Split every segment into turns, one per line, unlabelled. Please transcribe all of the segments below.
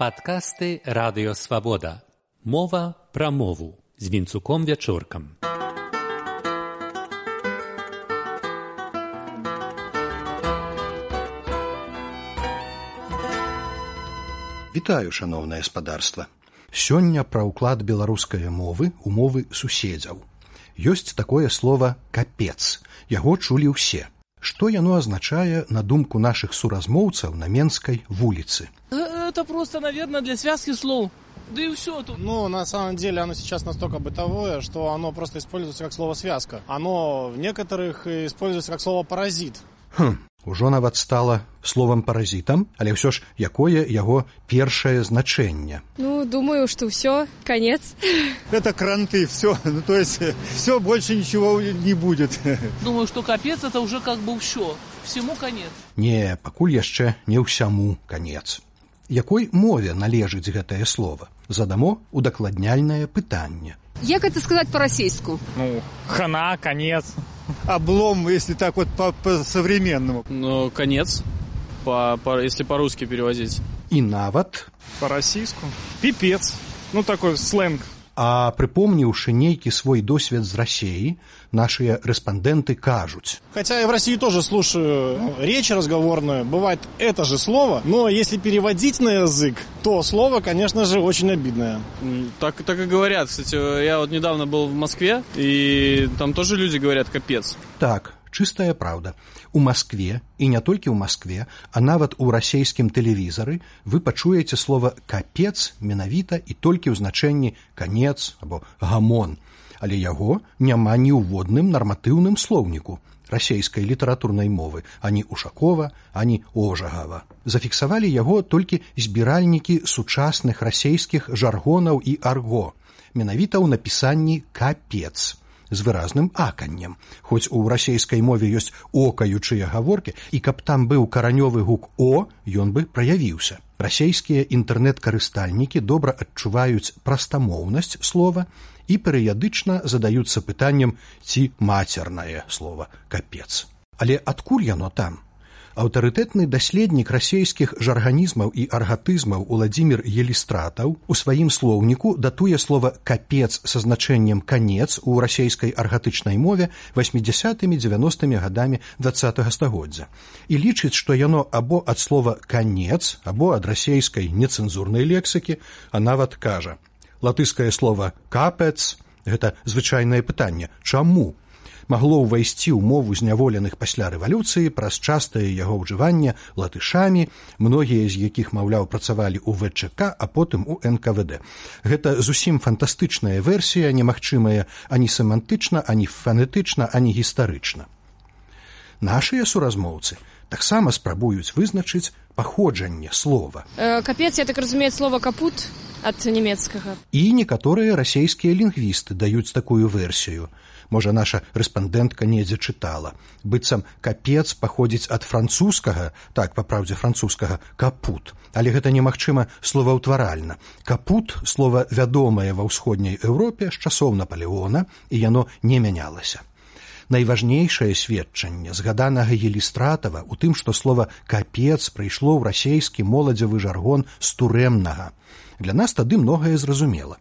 Падкасты Радыё Свабода. Мова пра мову з Вінцуком Вячоркам.
Вітаю, шаноўнае спадарства. Сёння пра ўклад беларускай мовы ў мовы суседзяў. Ёсць такое слово «капец». Яго чулі ўсе. Што яно азначае на думку нашых суразмоўцаў на Менскай вуліцы?
Это просто, наверное, для связки слов. Да и все тут.
Ну, на самом деле, оно сейчас настолько бытовое, что оно просто используется как слово «связка». Оно в некоторых используется как слово «паразит».
Ужо нават стала словам паразітам, але ўсё ж якое яго першае значэнне?
Ну, думаю, что все, конец.
Это кранты, все. Ну, то есть, все, больше ничего не будет.
Думаю, что капец это уже как бы все. Всему конец.
Не, пакуль яшчэ не ўсяму конец. Якой мове належыць гэтае слово? Задамо удакладняльнае пытанне.
Як это сказать по-российску?
Ну, хана, конец.
Облом, если так вот по-современному.
Ну, конец, если по-русски переводить.
І нават...
По-российску? Пипец. Ну, такой сленг.
А припомніўшы нейкі свой досвед з Расіі, нашыя рэспандэнты кажуць.
Хотя и в России тоже слушаю речь разговорную, бывает это же слово, но если переводить на язык, то слово, конечно же, очень обидное.
Так и говорят. Кстати, я вот недавно был в Москве, и там тоже люди говорят «капец».
Так, чыстая праўда. У Маскве, і не толькі ў Маскве, а нават у расейскім тэлевізары вы пачуеце слово «капец» менавіта і толькі ў значэнні «канец» або «гамон». Але яго няма ні ў водным нарматыўным слоўніку расейскай літаратурнай мовы, ані Ушакова, ані Ожагава. Зафіксавалі яго толькі збіральнікі сучасных расейскіх жаргонаў і арго, менавіта ў напісанні «капец» з выразным аканнем. Хоць у расейскай мове ёсць окаючыя гаворкі, і каб там быў каранёвы гук «о», ён бы праявіўся. Расейскія інтэрнэт-карыстальнікі добра адчуваюць прастамоўнасць слова і перыядычна задаюцца пытаннем, ці мацернае слова «капец». Але адкуль яно там? Аўтарытэтны даследнік расейскіх жарганізмаў і аргатызмаў Уладзімір Елістратаў у сваім слоўніку датуе слова «капец» са значэннем «канец» у расейскай аргатычнай мове 80-90-мі гадамі 20-го стагоддзя і лічыць, што яно або ад слова «канец», або ад расейскай нецэнзурнай лексікі, а нават кажа: латышскае слово «капец» – гэта звычайнае пытанне «чаму?» магло ўвайсці ў мову зняволеных пасля рэвалюцыі праз частае яго ўжыванне латышамі, многія з якіх, маўляў, працавалі ў ВЧК, а потым у НКВД. Гэта зусім фантастычная версія, немагчымая ані семантычна, ані фанетычна, ані гістарычна. Нашыя суразмоўцы таксама спрабуюць вызначыць паходжанне слова.
Капец, я так разумею, слово «капут» ад нямецкага.
І некаторыя расейскія лінгвісты даюць такую версію. Можа, наша рэспандэнтка недзе чытала. Быццам «капец» паходзіць ад французскага, так, па праўдзе французскага, «капут». Але гэта немагчыма словаўтваральна. «Капут» – слова вядомае ва ўсходняй Еўропе з часоў Напалеона, і яно не мянялася. Найважнейшае сведчанне згаданага Елістратава ў тым, што слова «капец» прыйшло ў расейскі моладзевы жаргон з турэмнага. Для нас тады многае зразумела.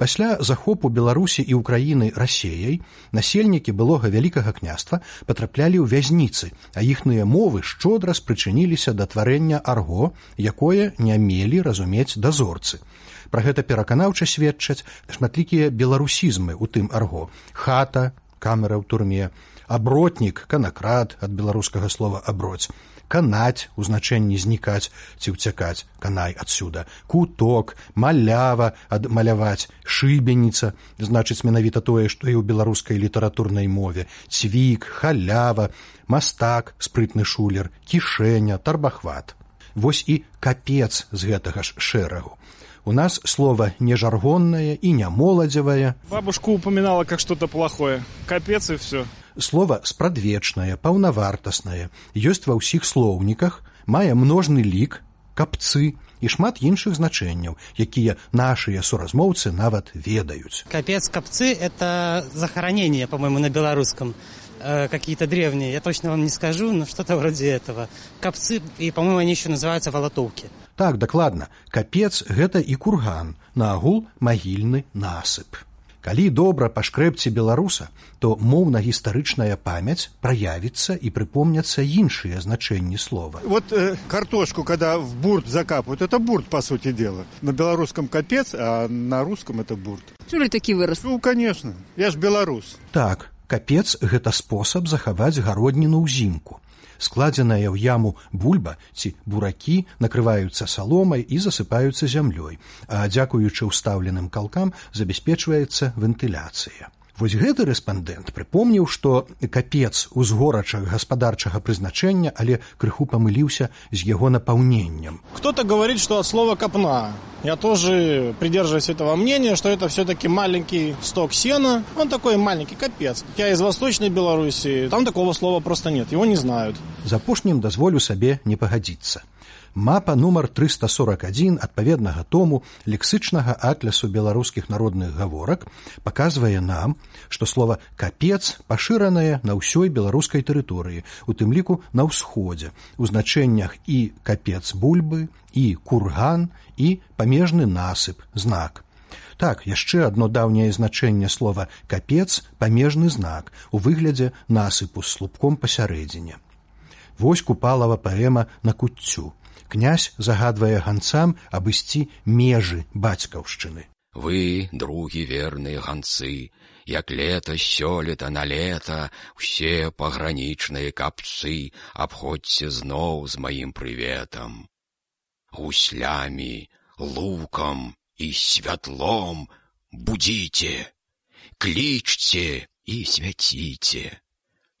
Пасля захопу Беларусі і Украіны Расеяй насельнікі былога Вялікага княства патраплялі ў вязніцы, а іхныя мовы шчодра спрычыніліся да тварэння арго, якое не мелі разумець дазорцы. Пра гэта пераканаўча сведчаць шматлікія беларусізмы ў тым арго. Хата, камера ў турме, абротнік, канакрад ад беларускага слова «аброць», канаць у значэнні знікаць ці ўцякаць, канай адсюда, куток, малява ад маляваць, шыбеніца, значыць менавіта тое, што і ў беларускай літаратурнай мове, цвік, халява, мастак, спрытны шулер, кішэня, тарбахват. Вось і капец з гэтага ж шэрагу. У нас слово не жаргонное и не моладзевое.
Бабушка упоминала как что-то плохое. Капец и все.
Слово спрадвечнае, паўнавартаснае, ёсць ва ўсіх слоўніках, мае множны лік, капцы і шмат іншых значэнняў, якія нашыя суразмоўцы нават ведаюць.
Капец, капцы – это захоронение, по-моему, на белорусском. какие-то древние, я точно вам не скажу, но что-то вроде этого. Капцы, и, по-моему, они еще называются волотовки.
Так, дакладна, капец гэта і курган, наогул магільны насып. Калі добра пашкрэбці беларуса, то моўна-гістарычная памяць праявіцца і прыпомняцца іншыя значэнні слова.
Вот картошку, когда в бурт закапывают, это бурт, по сути дела. На белорусском капец, а на русском это бурт.
Чулі такі выраз?
Ну, конечно, я ж беларус.
Так, капец гэта спосаб захаваць гародніну ўзімку. Складзеная ў яму бульба ці буракі накрываюцца саломай і засыпаюцца зямлёй, а дзякуючы ўстаўленым калкам забяспечваецца вентыляцыя. Вось гэты рэспандэнт прыпомніў, што капец узгорача гаспадарчага прызначэння, але крыху памыліўся з яго напаўненнем.
Кто-то говорит, что от слова «копна». Я тоже придерживаюсь этого мнения, что это все-таки маленький сток сена. Он такой маленький, капец. Я из Восточной Беларуси, там такого слова просто нет, его не знают.
За апошнім дазволю сабе не пагадзіцца. Мапа нумар 341 адпаведнага тому лексычнага атлясу беларускіх народных гаворак паказвае нам, што слова «капец» пашыранае на ўсёй беларускай тэрыторыі, у тым ліку на ўсходзе, у значэннях і капец бульбы, і курган, і памежны насып, знак. Так, яшчэ адно даўняе значэнне слова «капец» – памежны знак у выглядзе насыпу з слупком пасярэдзіне. Вось Купалава паэма на куццю. Князь загадвае ганцам абысці межы бацькаўшчыны.
Вы, другі верныя ганцы, як лета сёлета на лета, усе пагранічныя капцы абходзьце зноў з маім прыветам. Гуслямі, лукам і святлом будзіце, клічце і свяціце.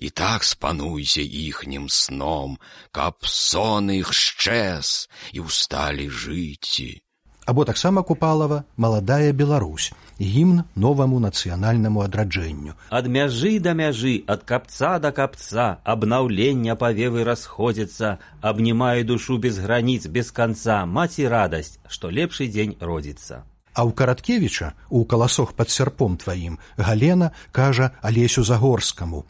І так спануйся іхнім сном, каб сон іх шчэз і ўсталі жыці.
Або таксама Купалава «Маладая Беларусь», гімн новаму нацыянальнаму адраджэнню.
Ад мяжы да мяжы, ад капца да капца, абнаўлення павевы расходзяцца, абнімае душу без граніц, без канца, маці радасць, што лепшы дзень родзіцца.
А ў Караткевіча, у «Каласох пад сярпом тваім», Галена кажа Алесю Загорскаму: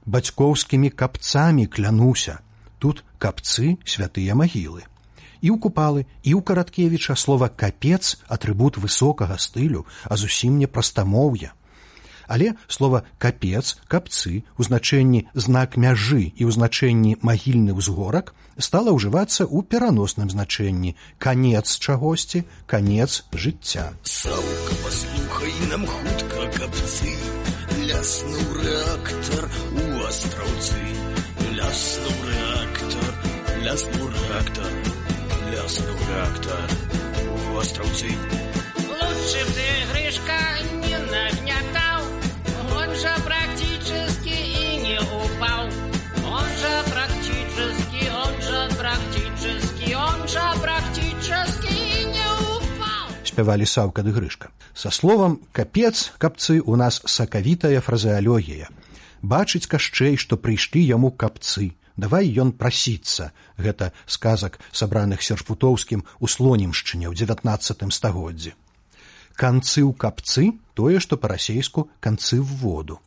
«Бацькоўскімі капцамі клянуся». Тут капцы – святыя магілы. І ў Купалы, і ў Караткевіча слова «капец» – атрыбут высокага стылю, а зусім не прастамоўя. Але слова «капец», «капцы» у значэнні «знак мяжы» і ў значэнні «магільны ўзгорак» стала ўжывацца ў пераносным значэнні «канец чагосьці», «канец жыцця».
Саўка, паслухай нам хутка, капцы, ляснуў рэактар у Астраўцы. Ляснуў рэактар, ляснуў рэактар, ляснуў рэактар у Астраўцы.
Лучше б ты, Гришка, не нагнятал, он же практически и не упал. Он же практически и не упал.
Спявалі Саўка ды Грышка. Са словам «капец», «капцы» у нас сакавітая фразеалогія. Бачыць Кашчэй, што прыйшлі яму капцы. Давай ён прасіцца. Гэта сказак, сабраных Серпутоўскім у Слонімшчыне ў 19 стагоддзі. Канцы ў капцы – тое, што па-расейску канцы в воду.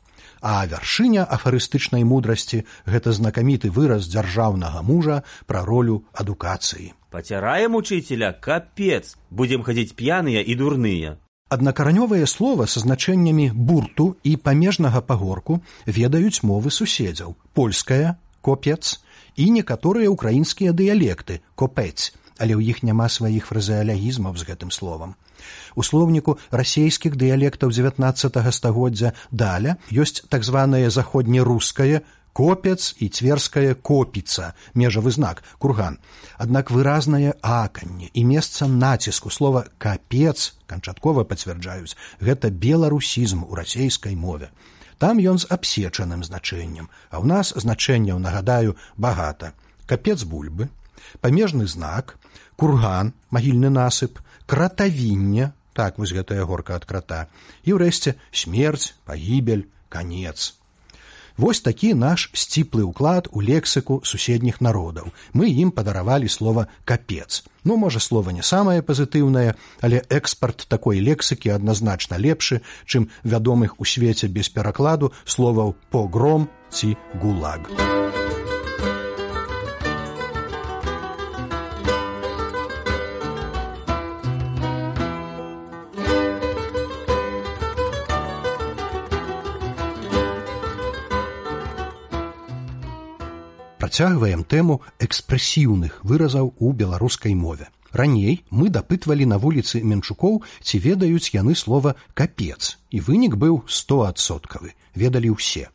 А вяршыня афарыстычнай мудрасці – гэта знакаміты выраз дзяржаўнага мужа пра ролю адукацыі.
Пацяраем учителя, капец, будем хадзіць п'яныя і дурныя.
Аднакаранёвае слова са значэннямі бурту і памежнага пагорку ведаюць мовы суседзяў. Польская – копец і некаторыя ўкраінскія дыялекты – копець, але ў іх няма сваіх фразеалягізмаў з гэтым словам. У слоўніку расейскіх дыялектаў 19 стагоддзя даля ёсць так званае заходнерускае копец і цверская копіца, межавы знак, курган. Аднак выразнае аканне і месца націску слова «капец» канчаткова пацвярджаюць, гэта беларусізм у расейскай мове. Там ён з абсечаным значэннем, а ў нас значэнняў, нагадаю, багата. Капец бульбы, памежны знак, курган, магільны насып, кратавінне, так вось гэтая горка ад крата, і ўрэшце смерць, пагібель, канец. Вось такі наш сціплы ўклад у лексіку суседніх народаў. Мы ім падаравалі слова «капец». Ну, можа, слова не самае пазітыўнае, але экспарт такой лексікі адназначна лепшы, чым вядомых у свеце без перакладу словаў «погром», ці гулаг. Працягваем тэму экспрэсіўных выразаў у беларускай мове. Раней мы дапытвалі на вуліцы Менчукоў, ці ведаюць яны слова «капец», і вынік быў 100%, ведалі ўсе.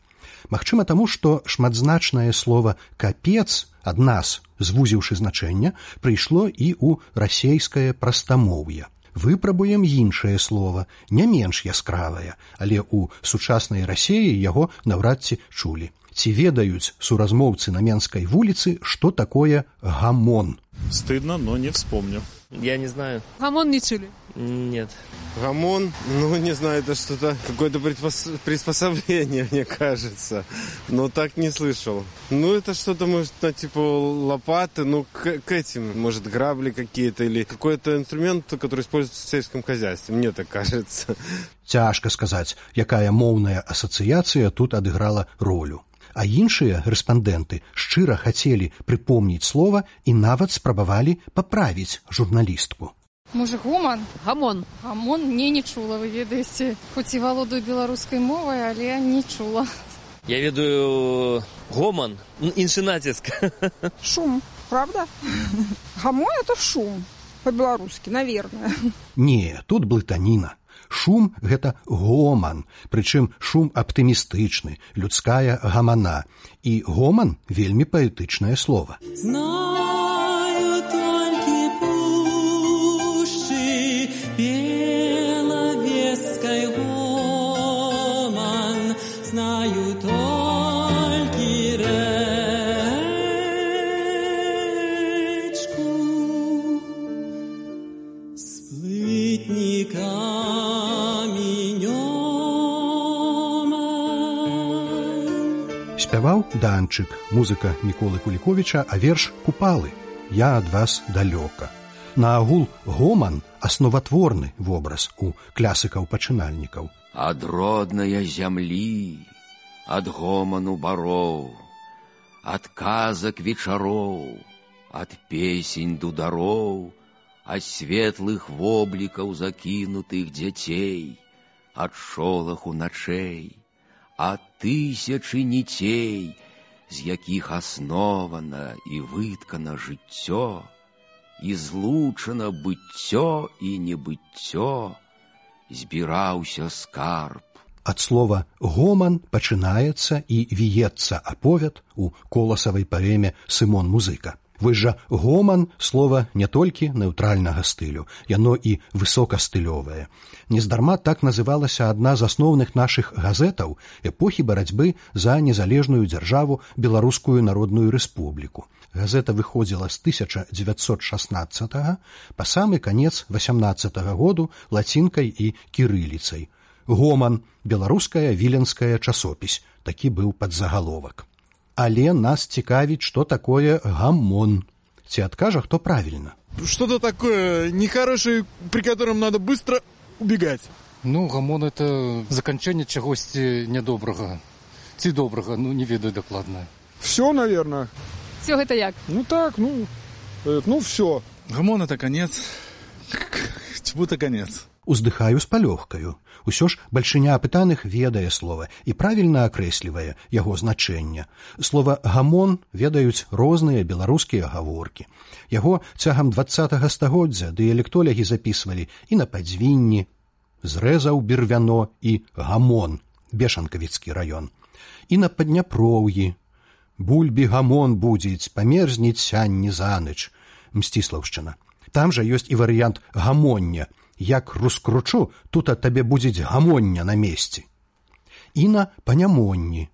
Магчыма таму, што шматзначнае слова «капец» ад нас, звузіўшы значэнне, прыйшло і ў расейскае прастамоўе. Выпрабуем іншае слова, не менш яскравае, але ў сучаснай Расеі яго наўрад ці чулі. Ці ведаюць суразмоўцы на Менскай вуліцы, што такое гамон?
Стыдно, но не вспомню.
Я не знаю.
Гамон не чули?
Нет.
Гамон, не знаю, это что-то, какое-то приспособление, мне кажется. Но так не слышал. Это что-то, может, типа лопаты, к этим, может, грабли какие-то, или какой-то инструмент, который используется в сельском хозяйстве, мне так кажется.
Цяжка сказаць, якая моўная асацыяцыя тут адыграла ролю. А іншыя рэспандэнты шчыра хацелі прыпомніць слова і нават спрабавалі паправіць журналістку.
Можа, гоман? Гамон. Гамон не чула, вы ведаеце. Хоць і валодаю беларускай мовай, але не чула.
Я ведаю гоман, іншы націск.
Шум, правда? Гамон – это шум, по-беларускі, наверное.
Не, тут блытаніна. Шум – гэта гоман, прычым шум аптымістычны, людская гамана. І гоман – вельмі паэтычнае слова.
Знаю толькі пушчы белавескай гоман, знаю толькі рэчку з плытніка.
Спяваў Данчык, музыка Міколы Куліковіча, а верш «Купалы» «Я ад вас далёка». Наагул гоман – асноватворны вобраз у клясыкаў-пачынальнікаў.
Ад роднае зямлі, ад гоману бароў, ад казак вечароў, ад песень дудароў, ад светлых воблікаў закінутых дзяцей, ад шолаху начэй, ад тысячы ніцей, з якіх аснована і выткана жыццё, і злучана быццё і небыццё, збіраўся скарб.
Ад слова «гоман» пачынаецца і віецца аповед у коласавай паэме «Сымон Музыка». Вось жа гоман – слова не толькі нэўтральнага стылю, яно і высокастылёвае. Нездарма так называлася адна з асноўных нашых газетаў эпохі барацьбы за незалежную дзяржаву Беларускую Народную Рэспубліку. Газета выходзіла з 1916 па самы канец 18 году лацінкай і кірыліцай. Гоман – беларуская віленская часопіс, такі быў падзагаловак. Але нас цікавіць, што такое гамон. Ці адкажа, хто правільна?
Что-то такое нехорошее, при котором надо быстро убегать.
Гамон – это заканчэнне чагосьці нядобрага. Ці добрага, не ведаю дакладна.
Все, наверное.
Все гэта як?
Все. Гамон – это конец. Чему-то конец.
Уздыхаю з палёгкаю. Усё ж бальшыня апытаных ведае слова і правільна акрэслівае яго значэнне. Слова «гамон» ведаюць розныя беларускія гаворкі. Яго цягам 20-га стагоддзя дыялектолягі запісвалі і на Падзвінні, зрэзаў бервяно і гамон, Бешанкавіцкі раён, і на Падняпроўі, бульбі гамон будзіць, памерзнець сянні заныч, Мсціслаўшчына. Там жа ёсць і варыянт гамоння. Як раскручу, тут ад табе будзе гамоння на месці. І на Панямонні.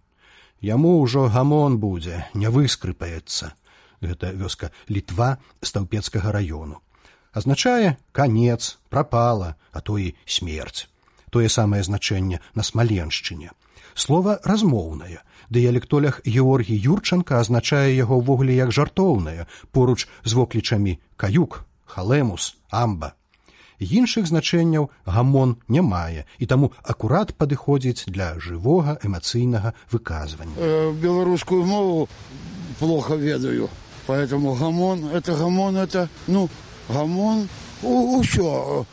Яму ўжо гамон будзе, не выскрыпаецца. Гэта вёска Літва Стаўпецкага раёну. Азначае канец, прапала, а то і смерць. Тое самае значэнне на Смаленшчыне. Слова размоўнае. Дыялектолях Георгій Юрчанка азначае яго ўвогуле як жартоўнае, поруч з воклічамі каюк, халемус, амба. Іншых значэнняў гамон не мае, і таму акурат падыходзіць для жывога эмацыйнага выказвання.
Беларускую мову плохо ведаю, поэтому гамон, гамон, усё,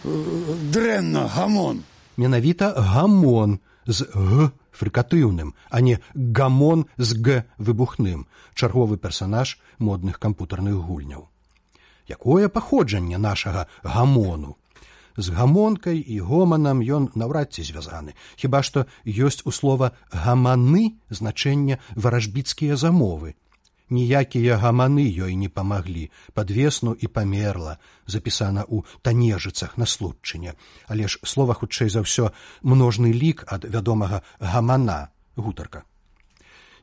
дрэнна, гамон.
Менавіта гамон з г фрыкатыўным, а не гамон з г выбухным, чарговы персанаж модных кампутарных гульняў. Якое паходжанне нашага гамону? З гамонкай і гоманам ён наўрад ці звязаны, хіба што ёсць у слова гаманы значэнне варажбіцкія замовы. Ніякія гаманы ёй не памаглі, падвесну і памерла, запісана ў Танежыцах на Случчыне, але ж слова хутчэй за ўсё множны лік ад вядомага гамана, гутарка.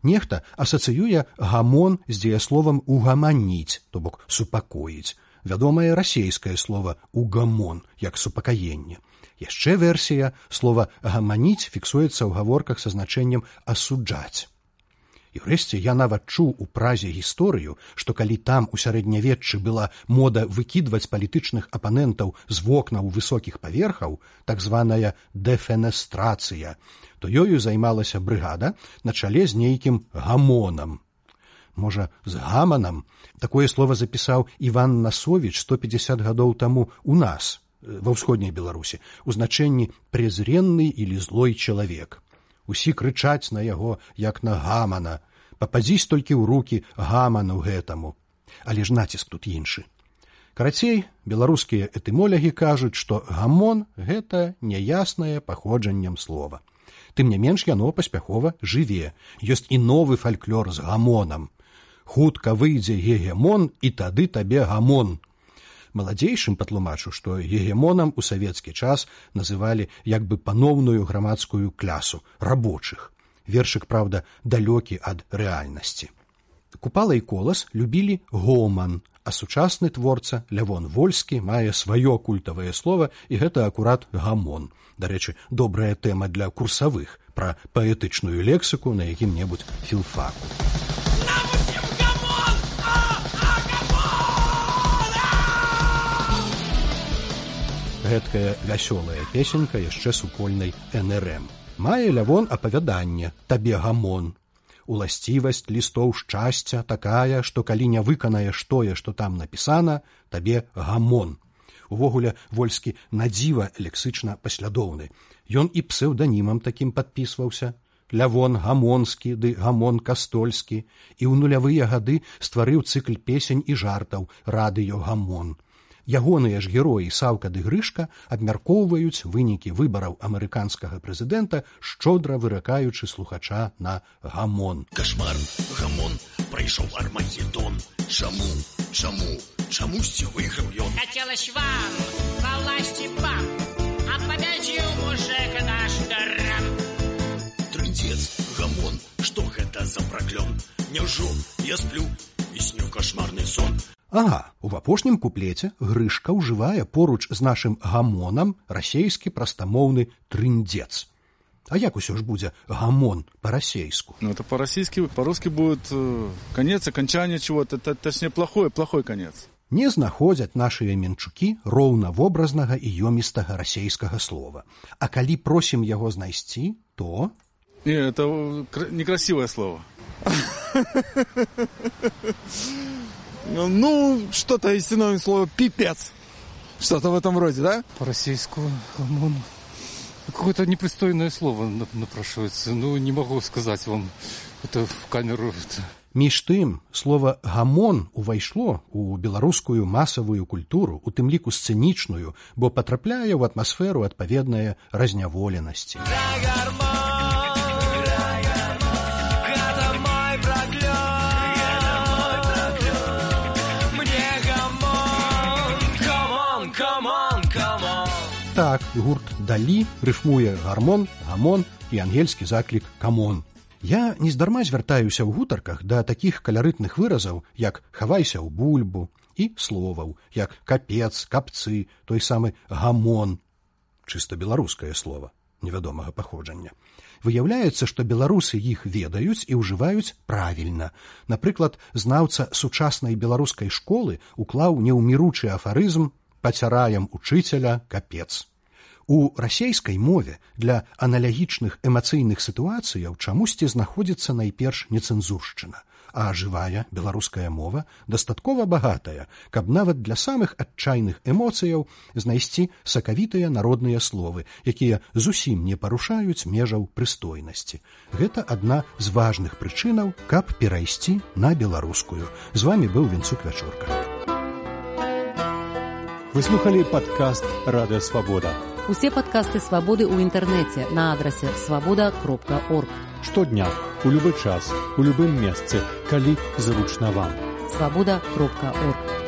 Нехта асацыюе гамон з дзеясловам угаманіць, то бок супакоіць, вядомае расейскае слова угамон, як супакаенне. Яшчэ версія слова гаманіць фіксуецца ў гаворках са значэннем асуджаць. І ўрэшце я нават чуў у Празе гісторыю, што калі там у сярэднявеччы была мода выкідваць палітычных апанентаў з вокнаў высокіх паверхаў, так званая дэфенестрацыя, то ёю займалася брыгада на чале з нейкім гамонам. Можа, з гаманам? Такое слова запісаў Іван Насовіч 150 гадоў таму у нас, ва ўсходняй Беларусі, у значэнні «презренны или злой чалавек». Усі крычаць на яго, як на гамана. Пападзісь толькі ў рукі гаману гэтаму. Але ж націск тут іншы. Карацей, беларускія этымолягі кажуць, што гамон – гэта няяснае паходжаннем слова. Тым не менш, яно паспяхова жыве. Ёсць і новы фальклор з гамонам. Хутка выйдзе гегемон, і тады табе гамон. Маладзейшым патлумачу, што гегемонам у савецкі час называлі як бы паноўную грамадскую клясу, рабочых. Вершык, праўда, далёкі ад рэальнасці. Купала і Колас любілі гоман, а сучасны творца Лявон Вольскі мае сваё культавае слова, і гэта акурат гамон. Дарэчы, добрая тэма для курсавых пра паэтычную лексіку на якім-небудзь філфаку. Гэткая вясёлая песенька яшчэ супольнай НРМ. Мае Лявон апавяданне «Табе гамон». Уласцівасць лістоў шчасця такая, што калі не выканаеш тое, што там напісана, табе гамон. Увогуле, Вольскі надзіва лексычна паслядоўны. Ён і псеўданімам такім падпісваўся. Лявон Гамонскі ды Гамон Кастольскі. І ў нулявыя гады стварыў цыкл песень і жартаў «Радыё Гамон». Ягоныя ж героі Саўка ды Грышка абмяркоўваюць вынікі выбараў амерыканскага прэзідэнта, шчодра выракаючы слухача на гамон.
Кашмар, гамон, прайшоў Армагеддон. Чамусьці выйграў ён.
Хацелось вам ва власці пап, а пабядзіў мужик наш дарам.
Трындзец, гамон, што гэта за праклён? Няўжо я сплю і сню кашмарны сон?
Ага, у апошнім куплеце Грышка ўжывае поруч з нашым гамонам расейскі прастамоўны трындзец. А як усё ж будзе гамон по-расейску?
Ну, это по-российски, по-русски будет конец, окончание чего-то, точнее, плохой конец.
Не знаходзяць нашыя менчукі роўнавобразнага і ёмістага расейскага слова. А калі просім яго знайсці, то...
Не, это некрасивое слово.
Ну, что-то из синоним слова «пипец». Что-то в этом роде, да?
По-российски гамон. Какое-то непристойное слово напрашивается. Ну, не могу сказать вам это в камеру.
Між тым, слова «гамон» увайшло у беларускую масавую культуру, у тым ліку сцэнічную, бо патрапляе ў атмасферу адпаведнае разняволенасці. Так, гурт «Далі» рыфмуе гармон, гамон і ангельскі заклік «камон». Я нездарма звяртаюся ў гутарках да такіх каларытных выразаў, як «хавайся ў бульбу» і словаў, як «капец», «капцы», той самы «гамон». Чыста беларускае слова, невядомага паходжання. Выяўляецца, што беларусы іх ведаюць і ўжываюць правільна. Напрыклад, знаўца сучаснай беларускай школы уклаў неўміручы афарызм пацяраем учыцеля капец. У расейскай мове для аналагічных эмацыйных сітуацыяў чамусьці знаходзіцца найперш нецэнзуршчына, а жывая беларуская мова дастаткова багатая, каб нават для самых адчайных эмоцыяў знайсці сакавітыя народныя словы, якія зусім не парушаюць межаў прыстойнасці. Гэта адна з важных прычынаў, каб перайсці на беларускую. З вамі быў Вінцук Вячорка.
Вы слухали падкаст «Радыё Свабода».
Усе падкасты «Свабоды» ў інтэрнэце на адрасе свабода.орг.
Штодня, у любы час, у любым месцы, калі зручна вам.
Свабода.орг.